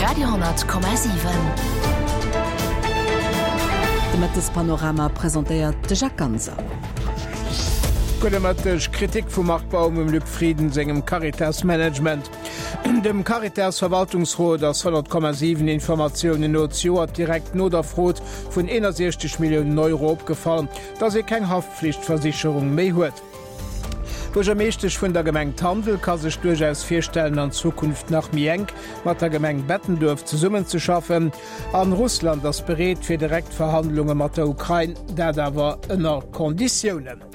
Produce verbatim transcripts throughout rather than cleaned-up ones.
Radio honnert Komma siwen. De Mëttespanorama presentéiert de Jacques Ganser. Gudde Mëtteg. Kritik vum Marc Baum um Luc Frieden sengem Caritas-Management. Dem Caritas-Verwaltungsrot ass honnert Komma siwen Informatiounen no zejoert direkt no der Frod vun eenundsechzeg Milliounen Euro opgefall, datt ee keng Haftflichtversicherung méi huet. D'Buergermeeschtesch vun der Gemeng Tandel ka sech duerchaus virstellen, an Zukunft nach méi enk mat der Gemeng Bettenduerf zesummenzeschaffen. An Russland ass bereet fir direkt Verhandlunge mat der Ukrain, dat awer ënner Konditiounen.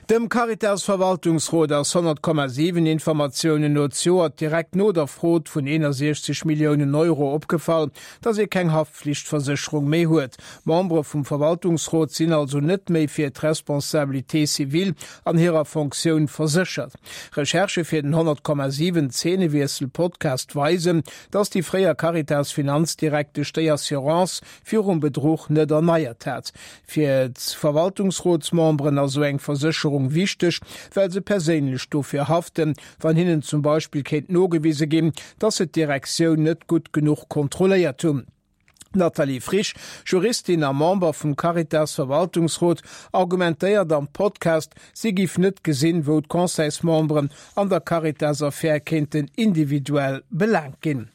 Dem Caritas-Verwaltungsrot ass honnert Komma siwen Informatiounen no zejoert direkt no der Frod vun eenundsechzeg Milliounen Euro opgefall, datt ee keng Haftflichtversécherung méi huet. D'Membere vum Verwaltungsrot sinn also net méi fir d'Responsabilité civile an hirer Fonctioun verséchert. Recherchë fir den honnert Komma siwen Zeenewiessel-Podcast weisen, datt déi fréier Caritas-Finanzdirektesch déi Assurance virum Bedruch net erneiert hat. Fir d'Verwaltungsrotsmemberen ass esou eng Versécherung wichteg, well se perséinlech dofir haften, wann hinnen zum Beispill kéint nogewise ginn, datt se d'Direktioun net gutt genuch kontrolléiert hunn. D'Nathalie Frisch, Juristin a Member vum Caritas-Verwaltungsrot, argumentéiert am Podcast, si giff net gesinn, wou d'Conseilsmemberen an der Caritas-Affär kéinten individuell belaangt ginn.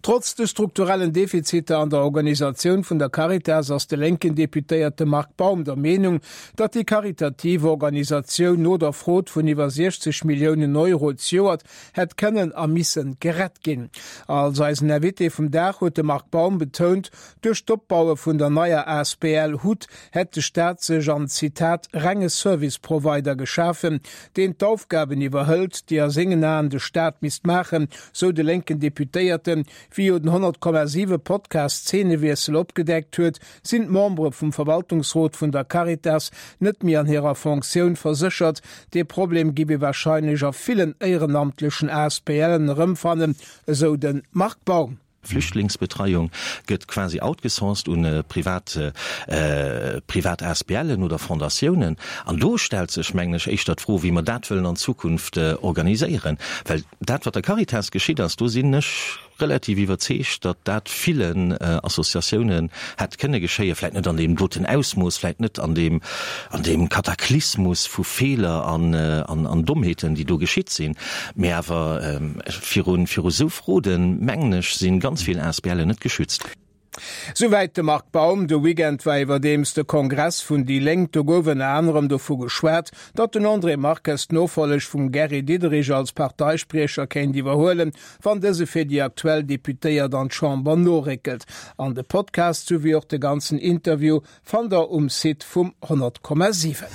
Trotz de strukturellen Defiziter an der Organisatioun vun der Caritas ass de lénken Deputéierte Marc Baum der Meenung, datt déi karitativ Organisatioun no der Frod vun iwwer siechzeg Milliounen Euro zejoert hätt kënnen a missen gerett ginn. Als eisen Invité vum Dag huet de Marc Baum betount, duerch d'Opbaue vun der neier asbl hut hätt de Staat sech an, Zitat, renge Service Provider geschafen, deen d'Aufgaben iwwerhëlt, déi a sengen Aen de Staat misst maachen, sou de lénken Deputéierten. Wéi jo den honnert Komma siwe Podcast Zeenewiessel opgedeckt huet, sinn d'Membere vum Verwaltungsrot vun der Caritas net méi an hirer Fonctioun verséchert. Dee Problem giff ee warscheinlech a villen éierenamtlechen ASBLen erëmfannen, esou de Marc Baum. Flüchtlingsbetreiung gëtt quasi outgesourced un privat privat ASBLen oder Fondatiounen. An do stellt sech, mengen ech, éischter d'Fro, wéi mer dat wëllen an Zukunft organiséieren. Well dat, wat der Caritas geschitt ass, do sinn ech relativ iwwerzeegt, datt dat villen Associatiounen hätt kënne geschéien, vläicht net an deem doten Ausmooss, vläicht net an deem, an deem Kataklysmus vu Feeler an, an, an Dommheeten, déi do geschitt sinn, mä awer virun, viru esou Froden, mengen ech, si ganz vill ASBLen net geschützt. Souwäit de Marc Baum. De Weekend war iwwerdeems de Kongress vun déi Lénk. Do gouf ënner anerem dovu geschwat, datt den André Marques d'Nofolleg vum Gary Diderich als Parteispriecher kéint iwwerhuelen, wann dëse fir déi aktuell Deputéiert an d'Chamber noréckelt. An de Podcast souwéi och de ganzen Interview fannt der um Site vum honnert Komma siwen.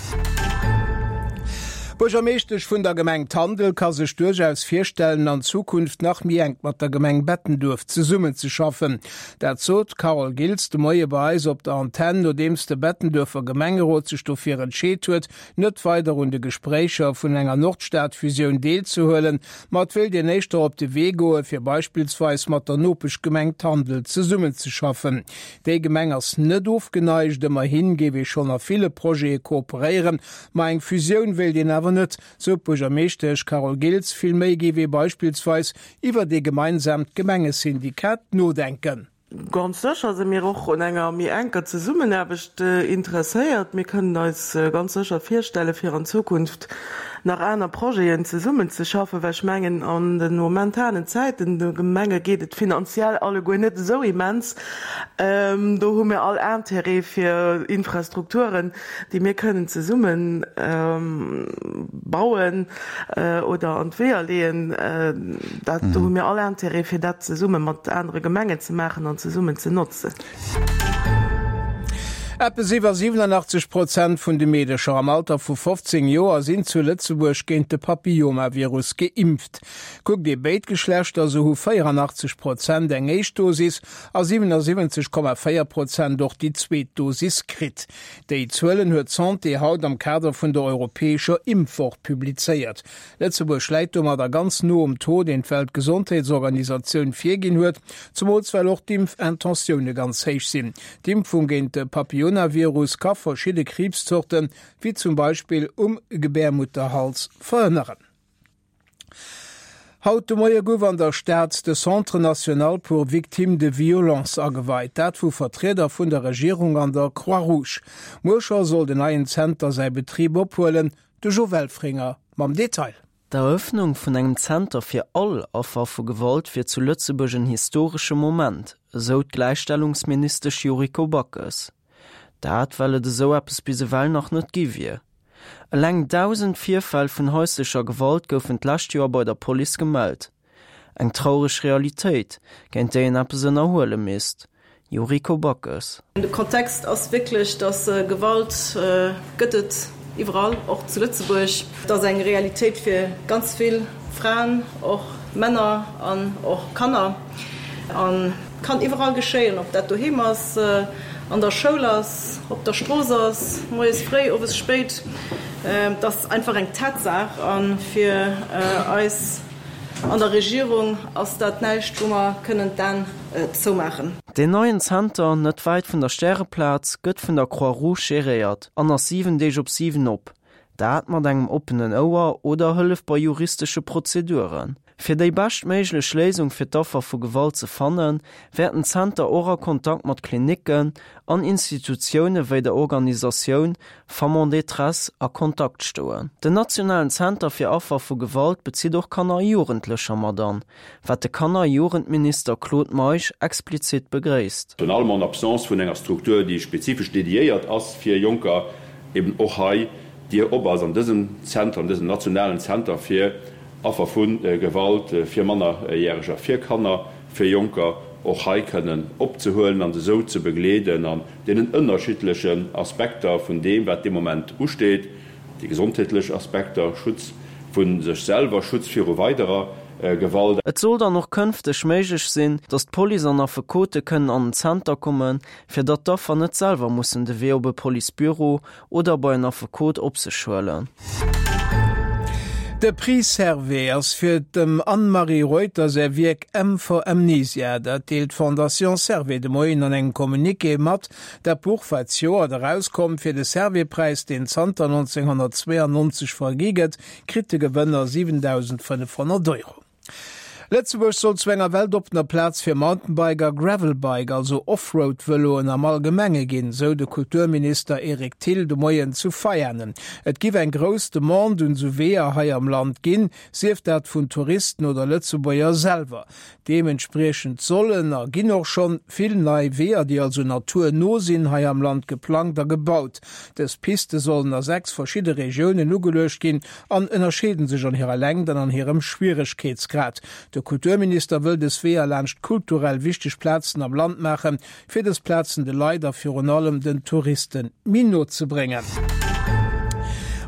D'Buergermeeschtesch vun der Gemeng Tandel ka sech duerchaus virstellen, an Zukunft nach méi enk mat der Gemeng Bettenduerf zesummenzeschaffen. Dat sot d'Carole Giltz de Moie bei eis op der Antenn, nodeems de Bettenduerfer Gemengerot sech dofir entscheet huet, net weider un de Gespréicher vun enger Nordstad-Fusioun deelzehuelen, ma et wéilt een éischter op de Wee goen, fir beispillsweis mat der Nopeschgemeng Tandel zesummenzeschaffen. Déi Gemeng ass net ofgeneigt, ëmmerhi géif ee schonn a ville Projete kooperéieren, ma eng Fusioun wéilt een awer net, sou d'Buergermeeschtesch Carole Giltz. Vill méi géif ee beispillsweis iwwert ee gemeinsaamt Gemengesyndikat nodenken. Ganz sécher si mir och un enger méi enker Zesummenaarbecht interesséiert. Mir kënnen eis ganz sécher virstelle fir an Zukunft nach aner Projeten zesummenzeschaffen, well ech mengen, an de momentanen Zäiten, de Gemenge geet et finanziell alleguer net esou immens. Do hu mir all Intérêt fir Infrastrukturen, déi mir kënnen zesumme bauen oder an d'Weeër leeën. Dat, do hu mir all Intérêt fir dat zesumme mat anere Gemengen ze maachen an zesummen ze notzen. Eppes iwwer siwenanachtzeg Prozent vun de Meedercher am Alter vu fofzéng Joer sinn zu Lëtzebuerg géint de Papillomavirus geimpft. Kuckt ee béid Geschlechter, esou hu véieranachtzeg Prozent eng éischt Dosis a siwenasiwwenzeg Komma véier Prozent och déi zweet Dosis kritt. Déi Zuelen huet d'Santé haut am Kader vun der europäescher Impfwoch publizéiert. Lëtzebuerg läit domadder ganz no um Taux, deen d'Weltgesondheetsorganisatioun virginn huet, zemools well och d'Impfintentioune ganz héich sinn. D'Impfung géint de Papillonavirus ka verschidde Kriibszorten, wéi zum Beispill um Gebärmutterhals, verhënneren. Haut de Moie gouf an der Stad de Centre national pour victimes de violences ageweit, dat vu Vertrieder vun der Regierung an der Croix-Rouge. Muer scho soll den neien Zenter säi Betrib ophuelen. De Jo Welfringer mam Detail. D'Erëffnung vun engem Zenter fir all Affer vu Gewalt wier zu Lëtzebuerg en historesche Moment, esou d'Gläichstellungsministesch Yuriko Backes. Dat well et esou eppes bis ewell nach net gi wier. Eleng dausend Virfäll vun haislecher Gewalt goufen d'lescht Joer bei der Police gemellt. Eng traureg Realitéit, géint déi een eppes ënnerhuele misst. Yuriko Backes. De Kontext ass wierklech, dass Gewalt gëtt et iwwerall, och zu Lëtzebuerg. Et ass eng Realitéit fir ganz vill Fraen, och Männer an och Kanner. A kann iwwerall geschéien, ob dat doheem ass, an der Schoul ass, op der Strooss ass, moies fréi, owes spéit. Et ass einfach eng Tatsaach a fir eis an der Regierung ass dat näischt, wou mer kënnen d'Aen zoumaachen. Deen neien Zenter, net wäit vun der Stäreplaz, gëtt vun der Croix-Rouge geréiert an ass siwen Deeg op siwen op. Dat mat engem oppenen Ouer oder Hëllef bei juristesche Prozeduren. Fir déi beschtméiglech Léisung fir d'Affer vu Gewalt ze fannen, wäert den Zenter och a Kontakt mat Klinicken an Institutioune wéi der Organisatioun Femmes en détresse a Kontakt stoen. Den nationalen Zenter fir Affer vu Gewalt bezitt och Kanner a Jugendlecher mat an, wat de Kanner a Jugendminister Claude Meisch explizit begréisst. Virun allem en absence vun enger Struktur, déi spezifesch dediéiert ass fir Jonker, eben och hei d'Dier op ass an dësem Zenter, an dësem nationalen Zenter fir Affer vu Gewalt, fir Mannerjäreger, fir Kanner, fir Jonker, och hei kënnen opzehuelen an se esou ze begleeden an deenen ënnerschiddlechen Aspekter vun deem, wat dee Moment usteet, déi gesondheetlech Aspekter, Schutz vu sech selwer, Schutz viru weiderer Gewalt. Et soll dann och kënfteg méiglech sinn, datt d'Police an Affekote kënnen an den Zenter kommen, fir datt d'Affer net selwer mussen de Wee op e Policebüro oder bei en Affekot op sech huelen. De Prix Servais ass fir dem Anne-Marie Reuter säi Wierk M for Amnesia. Dat deelt d'Fondation Servais de Moien an engem Communiqué mat. Dat Buch war d'Joert erauskomm. Fir de Servais-Präis, deen zanter nonzénghonnertzweeangnonzeg vergi gëtt, kritt de Gewënner siwendausendfënnefhonnert Euro. Lëtzebuerg soll zu enger weltoppener Plaz fir Mountainbike a Gravelbike, also Offroad-Vëloen am Allgemenge ginn, sou de Kulturminister Eric Thill de Moien zu Veianen. Et giff eng grouss Demande un sou Weeër hei am Land ginn, sief dat vun Touristen oder Lëtzebuerger selwer. Deementspriechend sollen, a ginn och schonn, vill nei Weeër, déi also naturno sinn, hei am Land geplangt a gebaut. Dës Piste sollen a sechs verschidde Regiounen ugeluecht ginn an ënnerscheede sech an hirer Längt an an hirem Schwieregkeetsgrad. De Kulturminister wëll dës Weeër laanscht kulturell wichteg Plazen am Land maachen, fir dës Plazen de Leit a virun allem den Touriste méi no ze bréngen.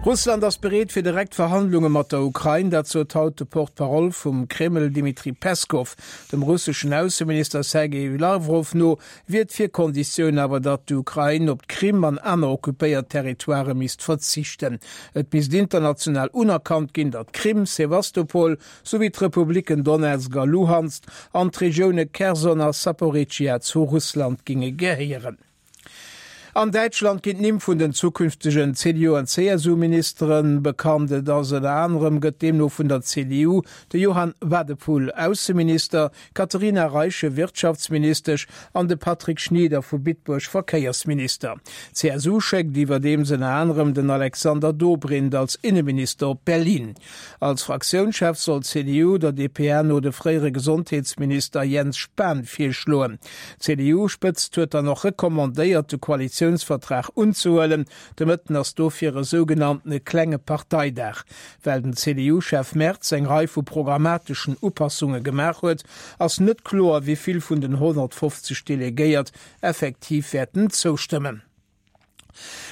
Russland ass bereet fir direkt Verhandlunge mat der Ukrain, dat sot haut de Porte-parole vum Kreml Dmitri Peskow. Dem russeschen Ausseminister Sergej Lawrow no wier d'Virkonditioun awer, datt d'Ukrain op d'Krim an aner occupéiert Territoirë misst verzichten. Et misst international unerkannt ginn, datt d'Krim, Sewastopol souwéi d'Republicken Donezk a Luhansk an d'Regioune Kherson a Saporizhzhia zu Russland ginge gehéieren. An Däitschland ginn d'Nimm vun den zukünftegen C D U an C S U-Ministere bekannt. Et ass ënner anerem gëtt deemno vun der C D U de Johann Wadephul Ausseminister, d'Katharina Reiche Wirtschaftsministesch an de Patrick Schnieder vu Bitburg Verkéiersminister. D'C S U schéckt iwwerdeems ënner anerem den Alexander Dobrindt als Inneminister op Berlin. Als Fraktiounschef soll d'C D U der D P A no de fréiere Gesondheetsminister Jens Spahn virschloen. D'C D U-Spëtzt huet dann och recommandéiert, de Koalitiounsvertrag unzehuelen. De Mëtten ass dofir e sougenanntene klenge Parteidag. Well den C D U-Chef Merz eng Rei vu programmateschen Upassunge gemaach huet, ass net kloer, wéi vill vun den honnertfofzeg Delegéiert effektiv wäerten zoustëmmen.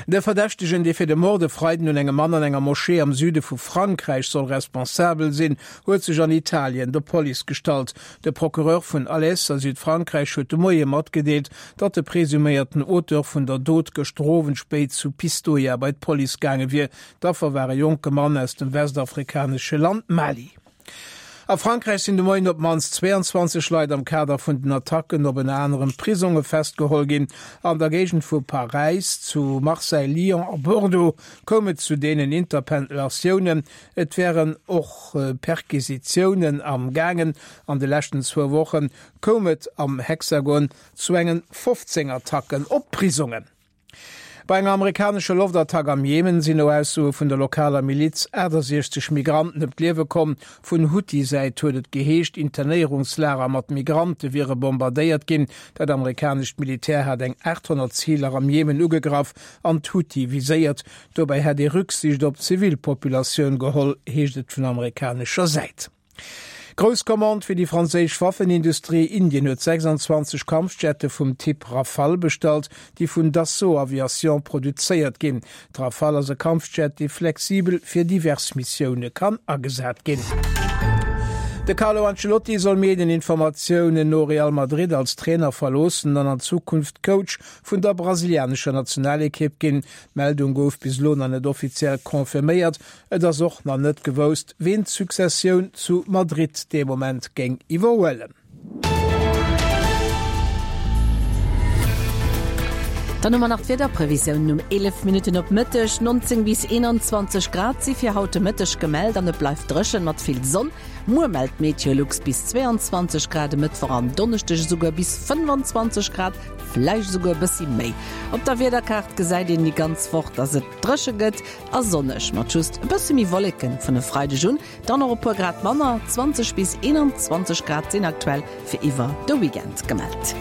De Verdächtegen, dee fir de Mord e Freiden un engem Mann an enger Moschee am Süde vu Frankräich soll responsabel sinn, huet sech an Italien der Police gestallt. De Procureur vun Alès a Südfrankräich huet de Moie matgedeelt, datt de presuméierten Auteur vun der Dot gëschter Owend spéit zu Pistoia bei d'Police gaange wier. D'Affer war e jonke Mann aus dem westafrikanesche Land Mali. A Frankräich sinn de Moien op d'mannst zwee an zwanzeg Leit am Kader vun den Attacken op ënner anerem Prisonge festgeholl ginn. An der Géigend vu Paräis, zu Marseille, Lyon a Bordeaux koum et zu deenen Interpellatiounen. Et wären och Perquisitiounen am gaangen. An de leschten zwou Woche koum et am Hexagon zu engen fofzéng Attacken op Prisongen. Bei enger amerikanescher Loftattack am Jemen sinn no Aussoe vun der lokaler Miliz aachtasechzeg Migranten ëm d'Liewe komm. Vun Huthi-Säit huet et geheescht, Internéierungslager mat Migrante wiere bombardéiert ginn. Dat amerikanescht Militär hat eng aacht honnert Ziler am Jemen ugegraff an d'Huthi viséiert. Dobäi hätt ee Rücksicht op d'Zivilpopulatioun geholl, heescht et vun amerikanescher Säit. Grouss Commande fir déi franséisch Waffenindustrie, Indien huet sechsanzwanzeg Kampfjette vum Typ Rafale bestallt, déi vun Dassault Aviation produzéiert ginn. D'Rafale ass e Kampfjet, dee flexibel fir divers Missioune kann agesat ginn. De Carlo Ancelotti soll Medieninformatiounen no Real Madrid als Trainer verloossen an an Zukunft Coach vun der brasilianescher Nationalekipp ginn. D'Meldung gouf bis elo nach net offiziell confirméiert. Et ass och nach net gewousst, ween d'Successioun zu Madrid dee Moment géing iwwerhuelen. Dann hu mer nach d'Wiederprevisiounen um eelef Minutten op Mëtteg, neunzéng bis eenanzwanzeg Grad si fir haut de Mëtteg gemellt an et bleift dréchen mat vill Sonn. Muer mellt Meteolux bis zweeanzwanzeg Grad, e Mëttwoch an Donneschdeg esouguer bis fënnefanzwanzeg Grad, vläicht esouguer e bëssi méi. Op der Wiederkaart gesäit een déi ganz Woch, dass et dréche gëtt a sonneg, mat just e bësse méi Wolleken vun e Freideg un. Dann och e puer Grad manner, zwanzeg bis eenanzwanzeg Grad sinn aktuell fir iwwer de Weekend gemellt.